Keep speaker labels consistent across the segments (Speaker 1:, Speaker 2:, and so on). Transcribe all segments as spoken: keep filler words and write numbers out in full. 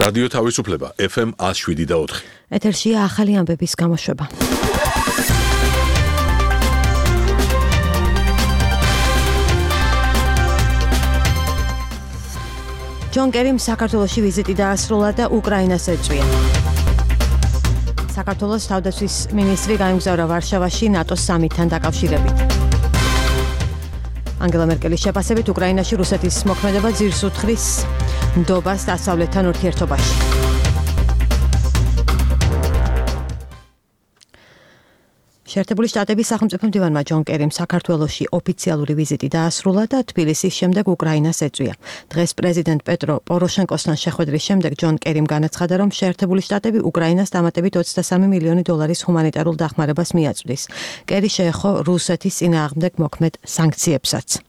Speaker 1: რადიო თავისუფლება ეფ ემ one oh seven და four.
Speaker 2: ეთერშია ახალი ამბების გამოშვება. ჯონ კერიმ საქართველოში ვიზიტი დაასრულა და უკრაინას ეწვია. საქართველოს თავდაცვის მინისტრი გაემგზავრა ვარშავაში ნატოს სამიტთან დაკავშირებით. ანგელა მერკელის შეფასებით უკრაინაში რუსეთის მოქმედება ძირს უთხრის ნდობას დასავლეთთან ურთიერთობაში. შეერთებული შტატების სახელმწიფო მდივანმა ჯონ კერიმ საქართველოში ოფიციალური ვიზიტი დაასრულა და თბილისის შემდეგ უკრაინას ეწვია. დღეს პრეზიდენტ პეტრო პოროშენკოსთან შეხვედრის შემდეგ ჯონ კერიმ განაცხადა, რომ შეერთებული შტატები უკრაინას დამატებით ოცდასამი მილიონი დოლარის ჰუმანიტარულ დახმარებას მიაწვდის. კერი შეეხო რუსეთის წინააღმდეგ მოქმედ სანქციებსაც.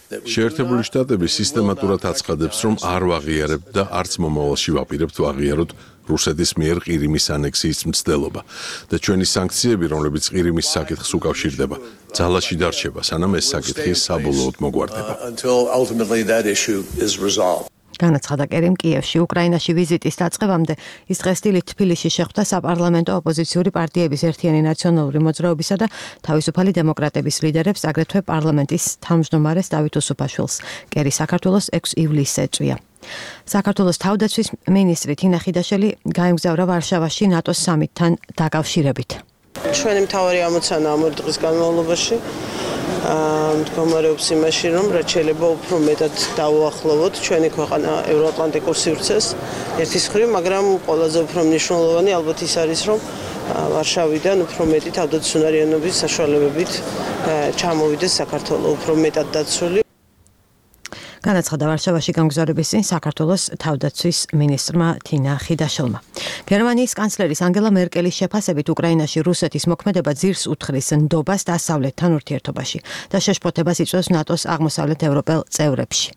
Speaker 1: შეერთებული შტატები სისტემატურად აცხადებს, რომ არ ვაღიარებთ და არც მომავალში ვაპირებთ ვაღიაროთ რუსეთის მიერ ყირიმის ანექსიის მცდელობა და ჩვენი სანქციები, რომლებიც ყირიმის საკითხს უკავშირდება, ძალაში დარჩება, სანამ ეს საკითხი საბოლოოდ მოგვარდება.
Speaker 2: განაცხადა კერიმ კიევში უკრაინაში ვიზიტის დაწყებამდე ის დღესდღეობით თბილისში შეხვდა საპარლამენტო ოპოზიციური პარტიების ერთიანი ნაციონალური მოძრაობისა და თავისუფალი დემოკრატების ლიდერებს, აგრეთვე პარლამენტის თავმჯდომარეს დავით უსუფაშვილს. კერი საქართველოს ექვსი ივლისს ეწვია. საქართველოს თავდაცვის მინისტრი თინა ხიდაშელი გაემგზავრა ვარშავაში ნატოს სამიტთან დაკავშირებით.
Speaker 3: ჩვენი მთავარი ამოცანა ამ ორი დღის განმავლობაში მდგომარეობს იმაში, რომ რაც შეიძლება უფრო მეტად დავუახლოვოთ ჩვენი ქვეყანა ევროატლანტიკურ სივრცეს ერთის მხრივ, მაგრამ ყველაზე უფრო მნიშვნელოვანი ალბათ ის არის, რომ ვარშავიდან უფრო მეტი თავდაცვისუნარიანობის საშუალებებით ჩამოვიდეს საქართველო უფრო მეტად დაცული.
Speaker 2: განაცხადა ვარშავაში გამგზავრების წინ საქართველოს თავდაცვის მინისტრმა თინა ხიდაშელმა. გერმანიის კანცლერის ანგელა მერკელის შეფასებით უკრაინაში რუსეთის მოქმედება ძირს უთხრის ნდობას დასავლეთთან ურთიერთობაში და შეშფოთებას იწვევს ნატოს აღმოსავლეთ ევროპელ წევრებში.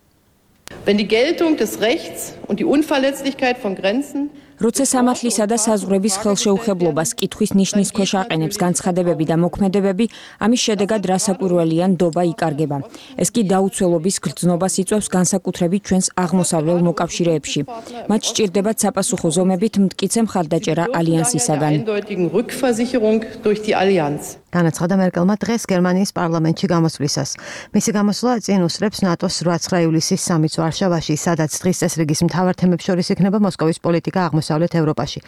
Speaker 4: Wenn die Geltung des Rechts und die Unverletzlichkeit von Grenzen
Speaker 5: როცა სამართლისა და საზღვრების ხელშეუხებლობას კითხვის ნიშნის ქვეშ აყენებს განცხადებები და მოქმედებები, ამის შედეგად რასაკვირველია ნდობა იკარგება. ეს კი დაუცველობის გრძნობას იწვევს განსაკუთრებით ჩვენს აღმოსავლელ მოკავშირეებში. მათ სჭირდებათ საპასუხო ზომებით მტკიცე მხარდაჭერა ალიანსისაგან.
Speaker 2: განაცხადა მერკელმა დღეს გერმანიის პარლამენტში გამოსვლისას. მისი გამოსვლა წინ უსწრებს ნატოს რვა ივლისის სამიტს ვარშავაში, სადაც დღის წესრიგის მთავარ თემებს შორის იქნება მოსკოვის პოლიტიკა აღმოსავლეთ ევროპაში.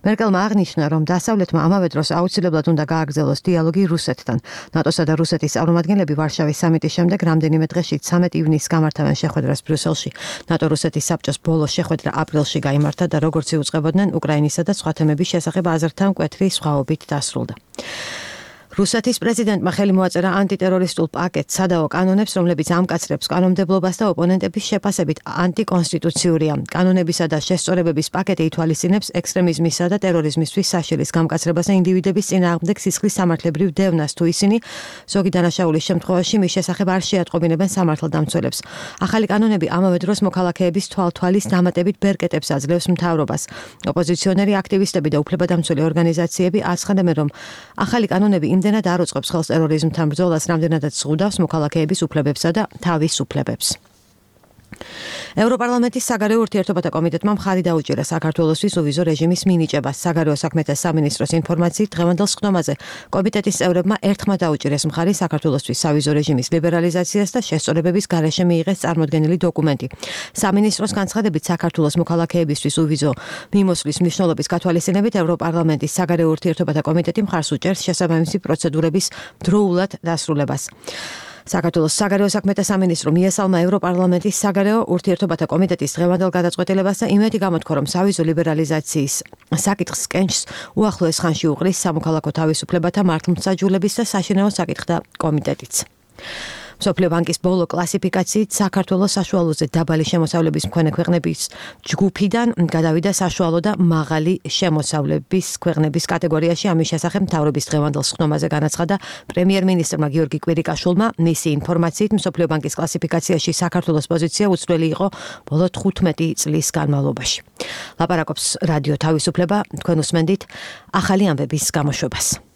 Speaker 2: მერკელმა აღნიშნა, რომ დასავლეთმა ამავე დროს აუცილებლად უნდა გააგრძელოს დიალოგი რუსეთთან. ნატოსა და რუსეთის წარმომადგენლები ვარშავის სამიტის შემდეგ რამდენიმე დღეში ცამეტ ივნისს გამართავენ შეხვედრას ბრიუსელში. ნატო-რუსეთის საბჭოს ბოლო შეხვედრა აპრილში გაიმართა და როგორც იუწყებოდნენ უკრაინისა და სხვა თემების შესახებ აზრთა მკვეთრი სხვაობით დასრულდა. რუსეთის პრეზიდენტმა ხელი მოაწერა ანტიტერორისტულ პაკეტს, სადაო კანონებს, რომლებიც ამკაცრებს კანონმდებლობას და ოპონენტების შეფასებით ანტიკონსტიტუციურია. კანონებისა და შესწორებების პაკეტი ითვალისწინებს ექსტრემიზმისა და ტერორიზმისთვის საშილის გამკაცრებას და ინდივიდების წინააღმდეგ სისხლის სამართლებრივ დევნას, თუ ისინი ზოგი დანაშაულის შემთხვევაში მის შესახებ არ შეატყობინებენ სამართალდამცველებს. ახალი კანონები ამავე დროს მოქალაქეების თვალთვალის დამატებით ბერკეტებს აძლევს მთავრობას. ოპოზიციონერი აქტივისტები და უფლებადამცველი ორგანიზაციები აცხადებენ, რომ ახალი კანონები იმდენად არ უწყობს ხელს ტერორიზმთან ბრძოლას, რამდენადაც ზღუდავს მოქალაქეების უფლებებსა და თავისუფლებებს. ევროპარლამენტის საგარეო ურთიერთობათა კომიტეტმა მხარი დაუჭირა საქართველოსთვის უვიზო რეჟიმის მინიჭებას. საგარეო საქმეთა სამინისტროს ინფორმაციით დღევანდელ სხდომაზე კომიტეტის წევრებმა ერთხმად დაუჭირეს მხარი საქართველოსთვის სავიზო რეჟიმის ლიბერალიზაციას და შესწორებების გარეშე მიიღეს წარმოდგენილი დოკუმენტი. სამინისტროს განცხადებით საქართველოს მოქალაქეებისთვის უვიზო მიმოსვლის მნიშვნელობის გათვალისწინებით ევროპარლამენტის საგარეო ურთიერთობათა კომიტეტი მხარს უჭერს შესაბამისი პროცედურების დროულად დასრულებას. საქართველოს საგარეო საქმეთა სამინისტრო მიესალმა ევროპარლამენტის საგარეო ურთიერთობათა კომიტეტის დღევანდელ გადაწყვეტილებას და იმედი გამოთქვა, რომ სავიზო ლიბერალიზაციის საკითხს კენჭს უახლოეს ხანში უყრის სამოქალაქო თავისუფლებათა მართლმსაჯულების და საშინაო საკითხთა კომიტეტიც. მსოფლიო ბანკის ბოლო კლასიფიკაციით საქართველოს საშუალოზე დაბალი შემოსავლების მქონე ქვეყნების ჯგუფიდან გადავიდა საშუალო და მაღალი შემოსავლების ქვეყნების კატეგორიაში. ამის შესახებ მთავრობის დღევანდელ სხდომაზე განაცხადა პრემიერ-მინისტრმა გიორგი კვირიკაშვილმა. მისი ინფორმაციით მსოფლიო ბანკის კლასიფიკაციაში საქართველოს პოზიცია უცვლელი იყო ბოლო თხუთმეტი წლის განმავლობაში. ლაპარაკობს რადიო თავისუფლება, თქვენ უსმენთ ახალი ამბების გამოშვებას.